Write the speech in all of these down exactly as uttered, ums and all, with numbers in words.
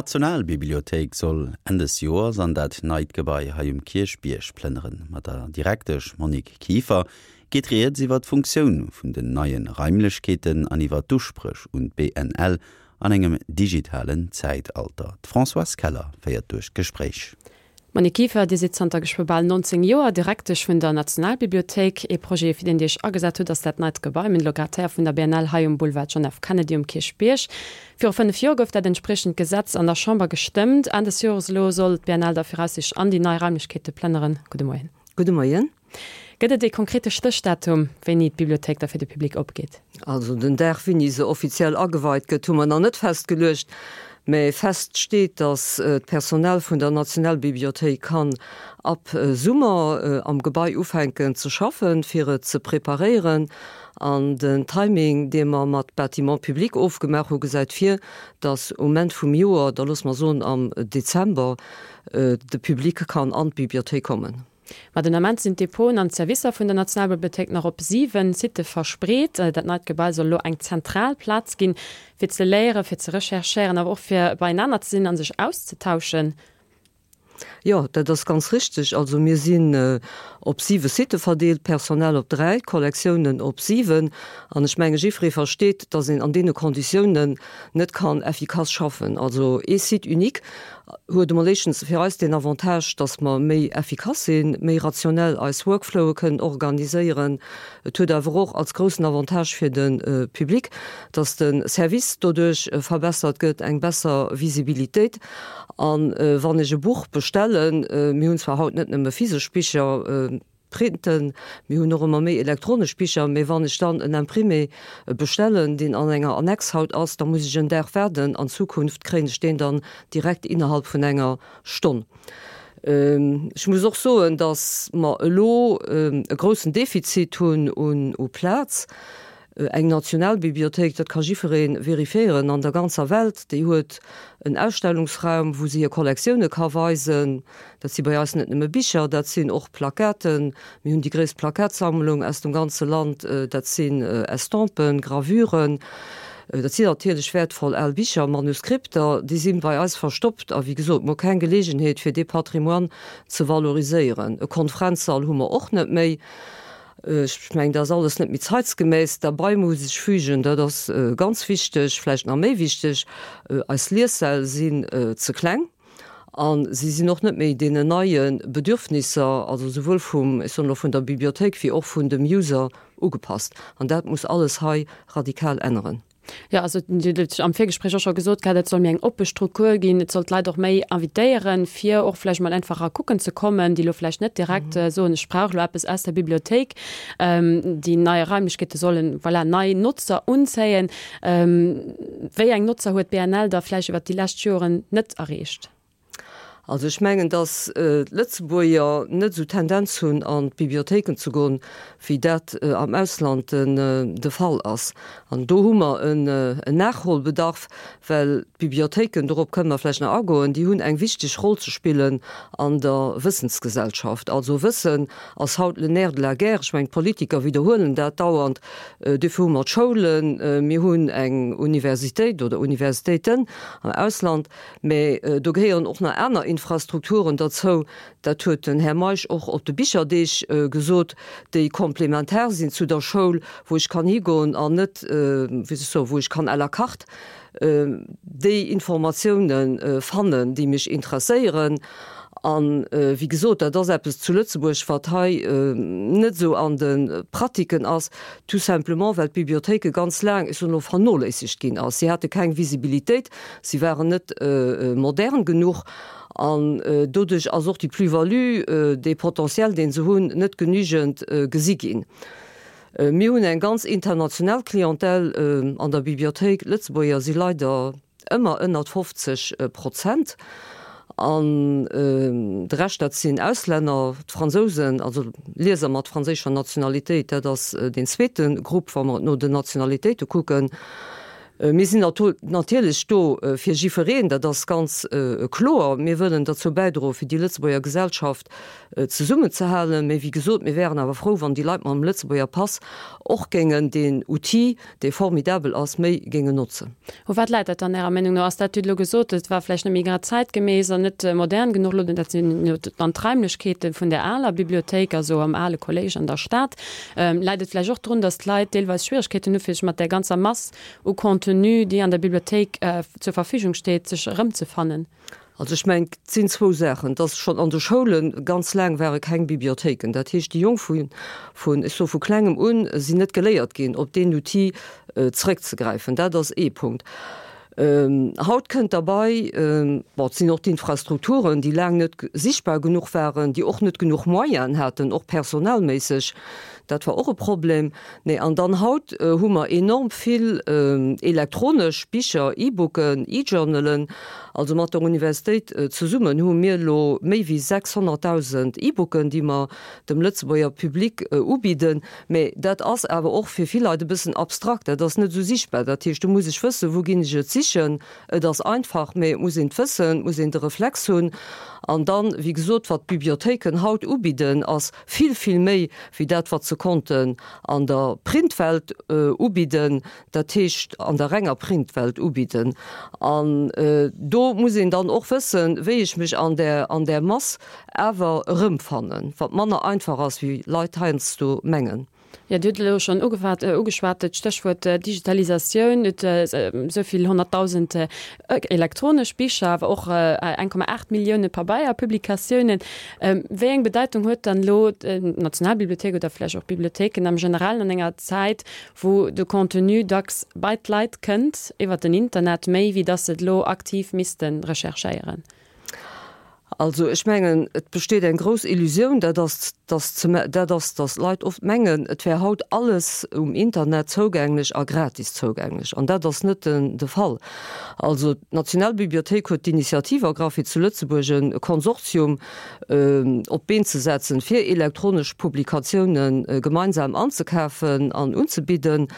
D'Nationalbibliothéik soll Enn des Joers an dat neit Gebai hei um Kierchbierg plënneren. Mat der Direktesch Monique Kieffer geet rieds iwwer d'Funktioun vun den neie Raimlechkeeten an iwwer d'Uspréch un d'BNL an engem digitalen Zäitalter. D'Françoise Keller féiert duerch d'Gespréich. Monique Kieffer, Dir sidd zanter geschwë bal nonzéng Joer Direktesch vun der Nationalbibliothéik. Ee Projet, fir deen Dir Iech agesat hutt, ass dat neit Gebai, mir hunn elo grad héier vun der B N L hei um Boulevard John F. Kennedy um Kierchbierg. Viru fënnef Joer gouf dat entspriechend Gesetz an der Chamber gestëmmt. Enn des Jores elo soll d'B N L da viraussiichtlech an déi nei Raimlechkeete plënneren. Gudde Moien. Gudde Moien. Gëtt et ee konkrete Stéchdatum, wéini d'Bibliothéik da fir de Public opgeet? Also den Dag, wéini se offiziell ageweit gëtt, hu mer nach net festgeluecht. Mä fest steet, datt d'Personal vun der Nationalbibliothéik kann ab Summer am Gebai ufänken ze schaffen, fir et ze preparéieren. An den Timing, dee mer mat Bâtiments publics ofgemaach hu, gesäit vir, datt um Enn vum Joer, da loosse mer soen am Dezember, de Public kann an d'Bibliothéik kommen. Ma den Ament sinn d'Depoten an d'Servicer vun der Nationalbibliothéik nach op siwen Sitte verspreet. Dat neit Gebai soll elo eng zentral Plaz ginn, fir ze léieren, fir ze recherchéieren, awer och fir beienaner ze sinn a sech auszetauschen. Jo, dat ass ganz richteg. Also mir sinn op siwe Sitte verdeelt, Personal op dräi, Kollektiounen op siwen. An ech menge jiddweree versteet, datt een an deene Konditiounen net kann effikass schaffen. Also ee Site unique huet emol éischtens fir eis den Avantage, datt mer méi effikass sinn, méi rationell eis Workflowe kënnen organiséieren. Et huet awer och als groussen Avantage fir de Public, datt de Service doduerch verbessert gëtt, eng besser Visibilitéit. An wann ech e Buch bestellen, mir hunn zwar haut net nëmme physesch Bicher, printen, mir hunn och ëmmer méi elektronesch Bicher, mä wann ech dann en Imprimé bestellen, deen an enger Annex haut ass, da muss ech en Dag waarden. An Zukunft kréien ech deen dann direkt innerhalb vun enger Stonn. Ech muss och soen, datt mer elo e groussen Defizit hunn un u Plaz. Eng Nationalbibliothéik, dat ka jiddweree verifiéieren an der ganzer Welt, déi huet en Ausstellungsraum, wou se hir Kollektioune ka weisen. Dat si bei eis net nëmme Bicher, dat sinn och Plakaten. Mir hunn déi gréisst Plakatsammlung aus dem ganze Land. Dat sinn Estampen, Gravuren. Dat sinn natierlech wäertvoll al Bicher, Manuskripter, déi si bei eis verstoppt. A wéi gesot, mer hu keng Geleegenheet, fir dee Patrimoine ze valoriséieren. E Konferenzsall hu mer och net méi. Ech mengen, dat ass alles net méi zeitsgemäss. Derbei muss ech fügen, dat ass ganz wichteg, vläicht nach méi wichteg, eis Liessäll sinn ze kleng a si sinn och net méi deenen neie Bedürfnisser, also souwuel vum, ech soen elo vun der Bibliothéik wéi och vun dem User ugepasst. An dat muss alles hei radikal änneren. Jo, also Dir hutt am Virgespréich och scho gesot gehat, et soll méi eng oppe Struktur ginn, et soll d'Leit och méi invitéieren, fir och vläicht mol einfach era kucken ze kommen, déi elo vläicht net direkt soen, ech brauch elo eppes aus der Bibliothéik. Déi nei Raimlechkeete sollen, voilà, nei Notzer unzéien. Wéi eng Notzer huet d'B N L da vläicht iwwert déi lescht Joren net erreecht? Also ech mengen, datt d'Lëtzebuerger net esou d'Tendenz hunn an d'Bibliothéiken ze goen, wéi dat am Ausland de Fall ass. An do hu mer en Nachholbedarf, well d'Bibliothéiken, dorop kënne mer vläicht nach agoen, déi hunn eng wichteg Roll ze spillen an der Wëssensgesellschaft. Also Wëssen ass haut le nerf de la guerre. Ech mengen, d'Politiker widderhuelen dat dauernd. Dofir hu mer d'Schoulen, mir hunn eng Universitéit oder Universitéiten am Ausland, mä do gehéieren och nach aner Infrastrukturen derzou, dat huet den Här Meisch och op de Bicherdeeg gesot, déi komplementar sinn zu der Schoul, wou ech kann higoen an net, wéi soll ech soen, wou ech kann à la carte déi Informatiounen fannen, déi mech interesséieren. An, wéi gesot, dat ass eppes zu Lëtzebuerg, wat hei net esou an de Pratiken ass, tout simplement well d'Bibliothéike ganz laang, ech soen elo, vernoléissegt ginn ass. Si hate keng Visibilitéit, si waren net modern genuch an doduerch ass och déi Plus-value, dee Potentiel, dee se hunn, net genügend gesi ginn. Mir hunn eng ganz international Clientèle an der Bibliothéik. Lëtzebuerger si leider ëmmer ënnert fofzeg Prozent an de Rescht dat sinn Auslänner, d'Fransousen, also Lieser mat franséischer Nationalitéit, dat ass deen zweete Grupp, wa mer no den Nationalitéite kucken. Mir sinn natierlech do fir jifereen, dat ass ganz kloer. Mir wëllen derzou bäidroen, fir déi Lëtzebuerger Gesellschaft zesummenzehalen. Mee wéi gesot, mir wären awer frou, wann déi Leit mam Lëtzebuerger Pass och géingen deen Outil, dee formidabel ass, méi géingen notzen. U wat läit dat dann Ärer Meenung no? Ass dat, Dir hutt elo gesot, et war vläicht net méi grad zäitgemäss an net modern genuch elo, dat sinn jo dann d'Raimlechkeete vun där aler Bibliothéik, also am ale Kolléisch an der Stad. Läit et vläicht och drun, datt d'Leit deelweis Schwieregkeeten hu fir sech mat där ganzer Mass u Contenu, déi an der Bibliothéik zur Verfügung steet, sech erëmzefannen? Also ech mengen, et sinn zwou Saachen. Et ass schonn an de Schoule ganz laang ware keng Bibliothéiken. Dat heescht, déi Jonk vu, vun, ech soe vu Klengem un, sinn net geléiert ginn, op deen Outil zrëckzegräifen. Dat ass ee Punkt. Haut kënnt derbei, bon, et sinn och d'Infrastrukturen, déi laang net sichtbar genuch waren, déi och net genuch Moyenen haten, och personalméisseg. Dat war och e Problem. Nee, an dann haut hu mer enorm vill elektronesch Bicher, E-Booken, E-Journalen. Also mat der Universitéit zesummen hu mir elo méi wéi sechshonnertdausend E-Booken, déi mer dem Lëtzebuerger Public ubidden. Mä dat ass awer och fir vill Leit e bëssen abstrakt, dat ass net esou sichtbar. Dat heescht, do muss ech wëssen, wou ginn ech et sichen. Et ass einfach, mä et muss een et wëssen, et muss een de Reflex hunn. An dann, wéi gesot, wat d'Bibliothéiken haut ubidden, ass vill, vill méi wéi dat, wat se konnten an der Printwelt ubidden, dat heescht an der renger Printwelt ubidden. An do muss een dann och wëssen, wéi ech mech an där, an där Mass awer erëmfannen, wat manner einfach ass, wéi Leit heiansdo mengen. Jo, Dir hutt elo schonn ugewat, ugeschwat, d'Stéchwuert Digitalisatioun. Et esou vill honnertdausend elektronesch Bicher, awer och eng Komma aacht Millioune Pabeierpublikatiounen. Wéi eng Bedeitung huet dann elo d'Nationalbibliothéik oder vläicht och d'Bibliothéiken am Generellen an enger Zäit, wou de Contenu dacks bei d'Leit kënnt iwwer den Internet, méi wéi datt se et elo aktiv misste recherchéieren? Also ech mengen, et besteet eng grouss Illusioun, dat ass, dass ze, dat ass, dass d'Leit oft mengen, et wär haut alles um Internet zougänglech a gratis zougänglech. An dat ass net den, de Fall. Also d'Nationalbibliothéik huet d'Initiativ ergraff, fir zu Lëtzebuerg e Konsortium op d'Been ze setzen, fir elektronesch Publikatiounen gemeinsam anzekafen an unzebidden.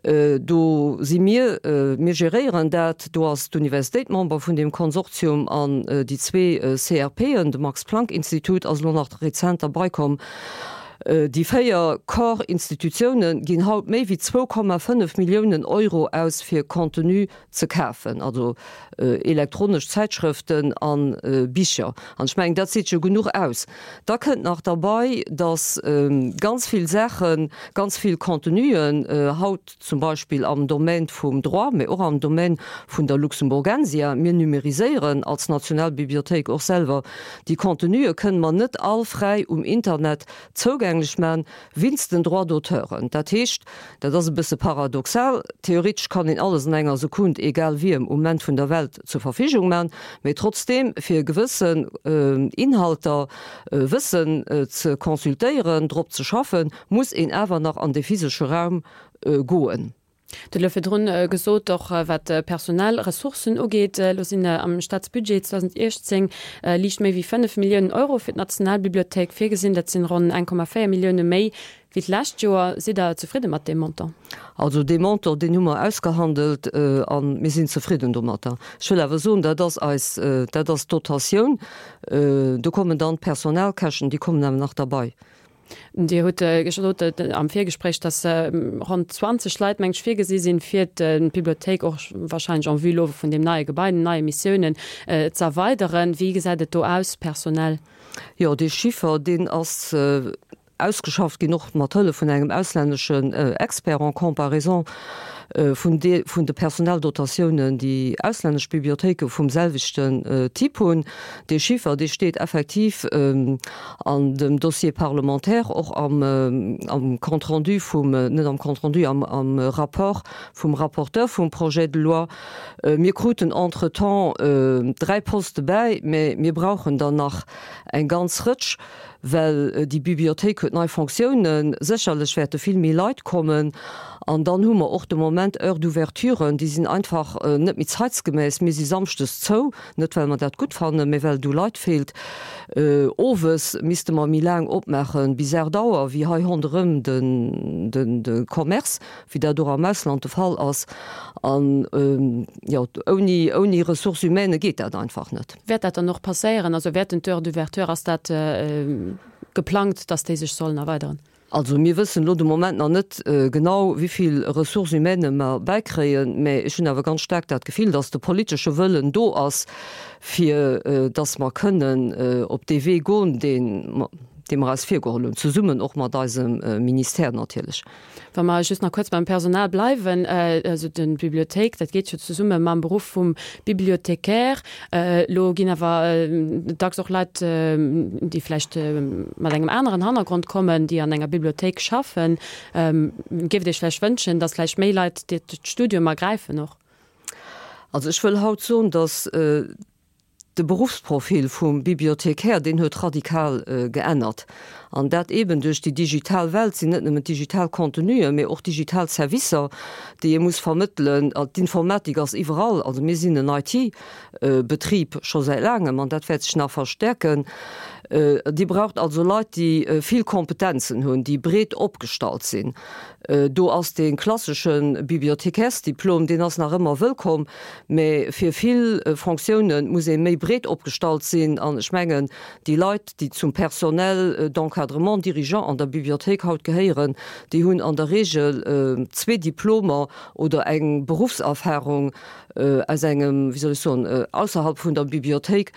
Do si mir, mir geréieren dat, do ass d'Universitéit Member vun deem Konsortium an déi zwee C R P en, de Max-Planck-Institut ass elo nach rezent derbaikomm. Déi véier Core-Institutioune ginn haut méi wéi zwou Komma fënnef Milliounen Euro aus fir Contenu ze kafen, also elektronesch Zäitschrëften a Bicher. An ech mengen, dat seet jo genuch aus. Da kënnt nach derbei, datt ganz vill Saachen, ganz vill Contenuen haut zum Beispill am Domaine vum Droit, mee och am Domaine vun der Luxemburgensia, mir numériséieren als Nationalbibliothéik och selwer déi Contenue, kënnen mer net all fräi um Internet zougänglech man, winst den Droits d'auteuren. Dat heescht, dat ass e bësse paradoxal, theoretesch kann een alles an enger Sekund, egal wiem, um Moment vun der Welt zur Verfügung man, mee trotzdeem fir gewëssen Inhalter wëssen ze consultéieren, drop ze schaffen, muss een awer nach an de physesche Raum goen. Dir hutt elo virdrun gesot, och wat d'personell Ressourcen ugeet, elo sinn am Staatsbudget zweedausenduechtzéng liicht méi wéi fënnef Milliounen Euro fir d'Nationalbibliothéik virgesinn. Dat sinn ronn eng Komma véier Millioune méi wéi d'lescht Joer. Sidd Der zefridde mat deem Montant? Also dee Montant, deen hu mer ausgehandelt a mir sinn zefridden domatter. Ech wëll awer soen, dat ass eis, dat ass d'Dotatioun. Do kommen dann d'Personalkäschten, déi kommen awer nach derbei. Dir hutt gesot am Virgespréich, datt ronn zwanzeg Leit, mengt ech, virgesi sinn, fir d'Bibliothéik och wahrscheinlech en vue elo vun deem neie Gebai, den neie Missiounen, ze erweideren. Wéi gesäit et do aus personell? Jo, dee Chiffer, deen ass ausgeschafft ginn, och mat Hëllef vun engem auslänneschen Expert, en comparaison vun de vun de Personaldotatiounen, déi auslännesch Bibliothéike vum selwechten Typ hunn. Dee Chiffer, dee steet effektiv an dem Dossier parlementaire, och am am Compte rendu vum, net am Compte rendu, am am Rapport vum Rapporteur vum Projet de loi. Mir kruten entretemps dräi Poste bäi, mä mir brauchen der nach eng ganz Rëtsch, well déi Bibliothéik huet nei Fonctiounen, sécherlech wäerte vill méi Leit kommen An dann hu mer och de Moment Heures d'ouverturen, déi sinn einfach net méi zeitsgemäss. Mir si samschdes zou, net well mer dat gutt fannen, mä well et u Leit feelt. Owes misste mer méi laang opmaachen, bis aacht Auer, wéi hei ronderëm de Commerce, wéi dat och am Ausland de Fall ass. An, jo, ouni, ouni Ressources humaines geet dat einfach net. Wäert dat dann och passéieren? Also wäerten d'Heures d'ouverture, ass dat geplangt, dass déi sech sollen erweideren? Also mir wëssen elo de Moment nach net genau, wéi vill Ressources humaines mer bäikréien, mä ech hunn awer ganz staark dat Gefill, dass de politesche Wëllen do ass, fir dass mer kënnen op dee Wee goen, dee dee mer eis virgeholl hunn, zesummen och mat eisem Ministère natierlech. Wa mer just nach kuerz beim Personal bleiwen, also d'Bibliothéik, dat geet jo zesumme mam Beruff vum Bibliothécaire. Elo ginn awer dacks och Leit, déi vläicht mat engem aneren Hannergrond kommen, déi an enger Bibliothéik schaffen. Géift Dir Iech vläicht wënschen, datt vläicht méi Leit d'Studium ergräifen och? Also ech wëll haut soen, datt De Beruffsprofil vum Bibliothécaire, deen huet radikal geännert. An dat eeben duerch déi digital Welt, sinn net nëmmen d'digital Contenuen, mee och digital Servicer, déi ee muss vermëttelen. D'Informatik ass iwwerall. Also mir sinn en IT-Betrib scho säit laangem an dat wäert sech nach verstärken. Dir braucht also Leit, déi vill Kompetenzen hunn, déi breet opgestallt sinn. Do ass dee klassesche Bibliothekärsdiplom, deen ass nach ëmmer wëllkomm, mä fir vill Fonctioune muss ee méi breet opgestallt sinn. An ech mengen, déi Leit, déi zum Personnel d'encadrement dirigeant an der Bibliothéik haut gehéieren, déi hunn an der Regel zwee Diplomer oder eng Beruffserfahrung aus engem, wéi soll ech soen, ausserhalb vun der Bibliothéik,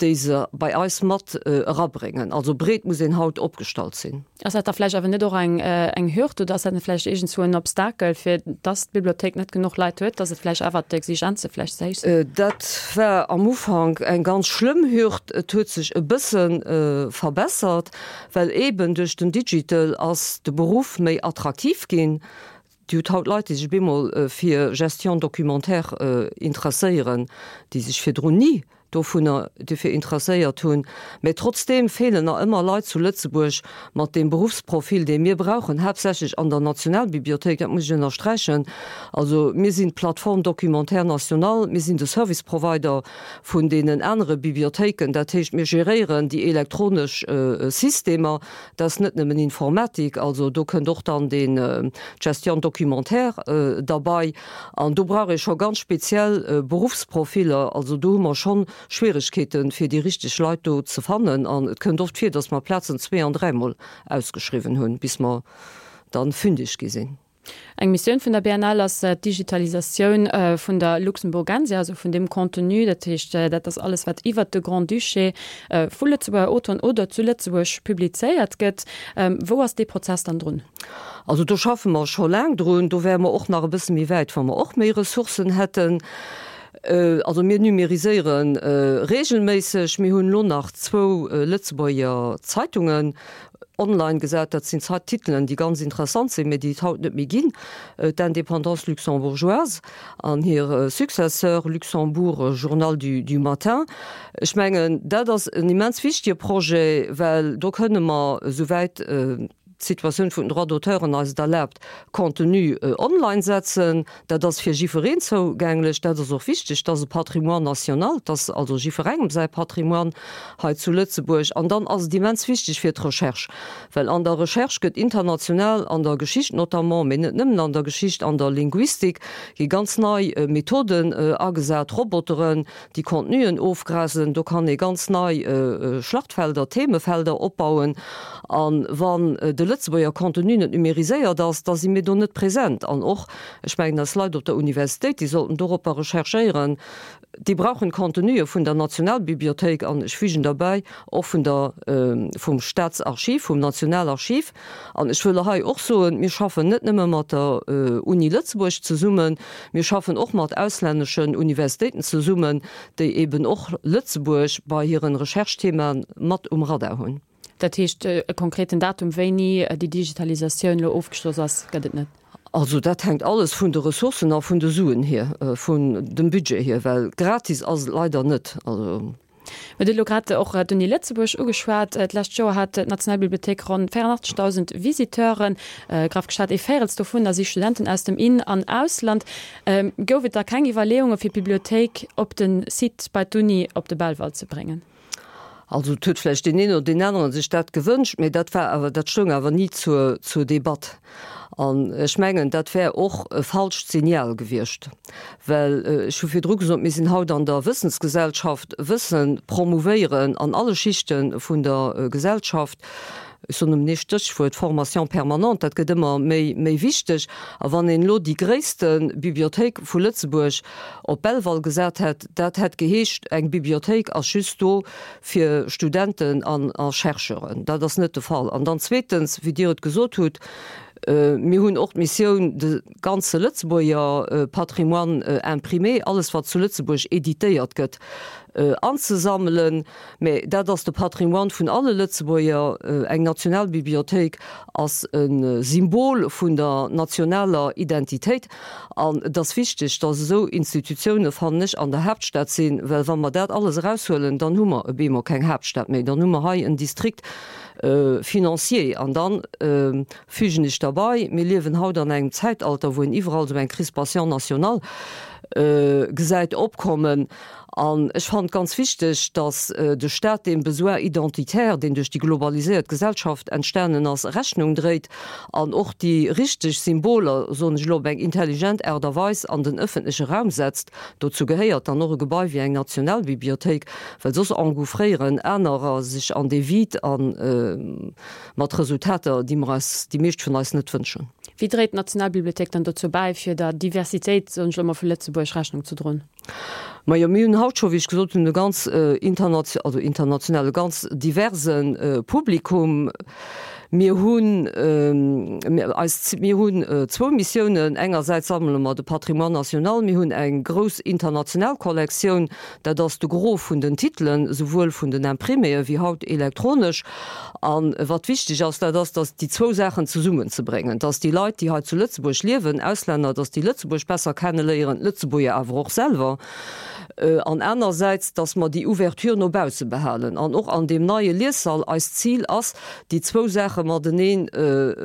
déi se bei eis mat erabréngen. Also breet muss een haut opgestallt sinn. Ass dat da vläicht awer net och eng eng Hürd oder ass dat net vläicht iergendzwou en Obstakel, fir dass d'Bibliothéik net genuch Leit huet, dass et vläicht awer d'Exigenze vläicht ze héich sinn? Dat war am Ufank eng ganz schlëmm Hürd. Et huet sech e bësse verbessert, well eeben duerch den Digital ass de Beruff méi attraktiv ginn. Dir hutt haut Leit, déi sech bemol fir Gestion documentaire interesséieren, déi sech virdrun ni dovunner dofir interesséiert hunn. Mä trotzdeem feelen nach ëmmer Leit zu Lëtzebuerg mat deem Beruffsprofil, dee mir brauchen, haaptsächlech an der Nationalbibliothéik, dat muss ech ënnersträichen. Also mir sinn d'Plateforme documentaire nationale, mir sinn de Service provider vun deenen anere Bibliothéiken. Dat heescht, mir geréieren déi elektronesch Systemer. Dat ass net nëmmen Informatik, also do kënnt och dann deen d'Gestion documentaire derbei. An do brauch ee scho ganz speziell Beruffsprofiller. Also do hu mer schonn Schwieregkeeten, fir déi richteg Leit do ze fannen. An et kënnt oft vir, datt mer Plazen zwee an dräimol ausgeschriwwen hunn, bis mer dann fündig gi sinn. Eng Missioun vun der B N L ass d'Digitalisatioun vun der Luxemburgensia, also vun deem Contenu, dat heescht, dat ass alles, wat iwwert de Grand-Duché vu Lëtzebuerger Auteuren oder zu Lëtzebuerg publizéiert gëtt. Wou ass dee Prozess dann drun? Also do schaffe mer scho laang drun. Do wäre mer och nach e bësse méi wäit, wa mer och méi Ressourcen hätten. Also mir numériséiere regelméisseg. Mir hunn elo nach zwou Lëtzebuerger Zeitungen online gesat. Dat sinn Titelen, déi ganz interessant sinn, mä déi et haut net méi ginn, D'Indépendance luxembourgeoise an hir Successeur, Luxembourg, Journal du, du matin. Ech mengen, dat ass en immens wichtige Projet, well do kënne mer, esouwäit d'Situatioun vun den Droits d'auteuren eis et erlaabt, Contenu online setzen. Dat ass fir jiffwereen zougänglech. Dat ass och wichteg. Dat ass e Patrimoine national. Dat ass also jiffwerengem säi Patrimoine hei zu Lëtzebuerg. An dann ass et immens wichteg fir d'Recherche, well an der Recherche gëtt international, an der Geschicht notamment, mee net nëmmen an der Geschicht, an der Linguistik gi ganz nei Methoden agesat, Roboteren, déi Contenuen ofgrasen. Do kann ee ganz nei Schlachtfelder, Themefelder opbauen. A wann de Lëtzebuerger Contenu net numériséiert ass, da si mir do net present. An och, ech mengen, eis Leit op der Universitéit, déi sollten doropper recherchéieren, déi brauchen d'Contenue vun der Nationalbibliothéik an, ech fügen derbäi, och vun der, vum Staatsarchiv, vum Nationalarchiv. An ech wëll hei och soen, mir schaffen net nëmme mat der Uni Lëtzebuerg zesummen, mir schaffen och mat auslänneschen Universitéiten zesummen, déi eben och Lëtzebuerg bei hiren Recherchethemaen mat um Radar hunn. Dat heescht, e konkreten Datum, wéini déi Digitalisatioun elo ofgeschloss ass, gëtt et net? Also dat hänkt alles vun de Ressourcen a vun de Suen hier, vun dem Budget hier, well gratis ass et leider net. Also Mir hutt elo grad och d'Uni Lëtzebuerg ugeschwat. D'lescht Joer hat d'Nationalbibliothéik ronn véierundachtzegdausend Visiteuren. Graff geschat, ee Véirels dovunner si Studenten aus dem In an Ausland. Gouf et da keng Iwwerleeunge fir d'Bibliothéik op de Site bei d'Uni op de Belval ze bréngen? Also et huet vläicht deen een oder deen aneren sech dat gewënscht, mä dat war awer, dat stoung awer ni zur, zur Debatt. An ech mengen, dat wär och e falscht Signal gewiescht, well ech hu virdru gesot, mir sinn haut an der Wëssensgesellschaft, Wësse promouvéieren an alle Schichte vun der Gesellschaft, ech soen nëmmen ee Stéchwuert, Formation permanente, dat gëtt ëmmer méi, méi wichteg. A wann een elo déi gréisste Bibliothéik vu Lëtzebuerg op Belval gesat hätt, dat hätt geheescht, eng Bibliothéik ass just do fir Studenten an a Chercheuren. Dat ass net de Fall. An dann zweetens, wéi Dir et gesot hutt, mir hunn och d'Missioun, de ganze Lëtzebuerger Patrimoine imprimé, alles wat zu Lëtzebuerg editéiert gëtt, anzesammelen. Mä dat ass de Patrimoine vun alle Lëtzebuerger. Eng Nationalbibliothéik ass e Symbol vun der nationaler Identitéit. An et ass wichteg, datt esou Institutioune, fannen ech, an der Haaptstad sinn, well wa mer dat alles eraushuelen, dann hu mer e bemol keng Haaptstad méi, dann hu mer hei en District financier. An dann fügen ech derbei, mir liewen haut an engem Zäitalter, wou een iwwerall esou eng Crispation nationale gesäit opkommen. An ech fannen et ganz wichteg, datt de Stat deem Besoin identitaire, deen duerch déi globaliséiert Gesellschaft entstanen ass, Rechnung dréit an och déi richteg Symboler, soen ech elo, op eng intelligent Aart a Weis an den ëffentleche Raum setzt. Dozou gehéiert dann och e Gebai wéi eng Nationalbibliothéik, well soss engouffréieren anerer sech an dee Vide a mat Resultater, déi mer eis, déi meescht vun eis net wënschen. Wéi dréit d'Nationalbibliothéik dann dozou bäi, fir der Diversitéit, soen ech elo mol, vu Lëtzebuerg Rechnung ze droen? Majo, mir hunn haut scho, wéi ech gesot hunn, e ganz internatio-, also international, e ganz diverse Publikum. Mir hunn eis, mir hunn zwou Missiounen. Engersäits sammele mer de Patrimoine national. Mir hunn eng grouss international Kollektioun, dat ass de Gros vun den Titelen, souwuel vun den Impriméë wéi haut elektronesch. A wat wichteg ass, dat ass, datt déi zwou Saachen zesummenzebréngen, datt déi Leit, déi hei zu Lëtzebuerg liewen, Auslänner, datt déi Lëtzebuerg besser kenneléieren, d'Lëtzebuerger awer och selwer, an anersäits, datt mer déi Ouverture no bausse behalen. An och an deem neie Liessall, eist Zil ass, déi zwou Saache mateneen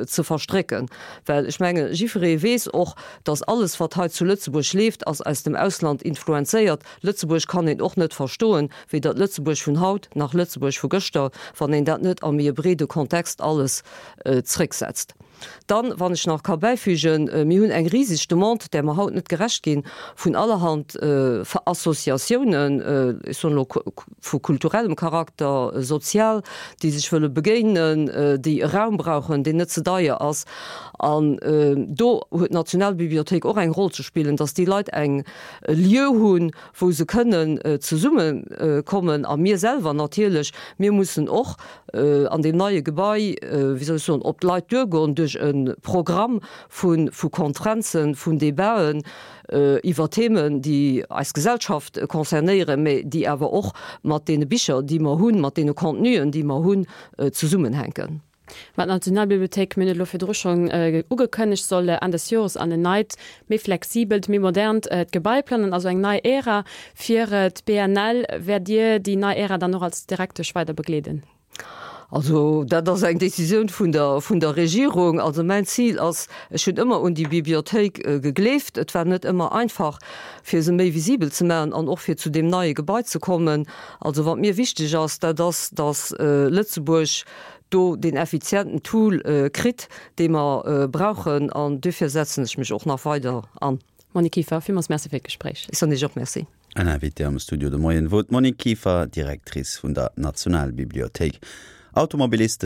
ze verstrécken. Well ech mengen, jiddweree weess och, datt alles, wat hei zu Lëtzebuerg leeft, ass aus dem Ausland influenzéiert. Lëtzebuerg kann een och net verstoen, weder d'Lëtzebuerg vun haut nach Lëtzebuerg vu gëschter, wann een dat net a méi e breede Kontext alles zrécksetzt. Dann, wann ech nach ka bäifügen, Mir hunn eng riseg Demande, där mer haut net gerecht ginn, vun allerhand Associatiounen, ech soen elo vu kulturellem Charakter, sozial, déi sech wëlle begéinen, déi e Raum brauchen, deen net ze deier ass. An do huet d'Nationalbibliothéik och eng Roll ze spillen, dass déi Leit eng e Lieu hunn, wou se kënnen zesummekommen. A mir selwer natierlech, mir mussen och an deem neie Gebai, wéi soll ech soen, op d'Leit duergoen duerch e Programm vu vu Konferenzen, vun Debaten iwwer Themen, déi eis Gesellschaft concernéieren, mä déi awer och mat deene Bicher, déi mer hunn, mat deene Contenuen, déi mer hunn, zesummenhänken. Mä d'Nationalbibliothéik, mir hunn et elo virdru schonn ugekënnegt, soll Enn des Jores an en neit, méi flexibelt, méi modernt Gebai plangen, also eng nei Ära fir d'BNL. Wäert Dir déi nei Ära dann och als Direktesch weider begleeden? Also dat ass eng Décisioun vun der, vun der Regierung. Also mäin Zil ass, ech hunn ëmmer un déi Bibliothéik gegleeft. Et war net ëmmer einfach, fir se méi visibel ze maachen an och fir zu deem neie Gebai ze kommen. Also wat mir wichteg ass, dat ass, datt Lëtzebuerg do deen effizienten Tool kritt, dee mer brauchen, an duerfir setzen ech mech och nach weider an. Monique Kieffer, villmools Merci fir d'Gespréich. Ech soen Iech och Merci. An Invitée am Studio de Moien wor d'Monique Kieffer, Directrice vun der Nationalbibliothéik. Automobiliste.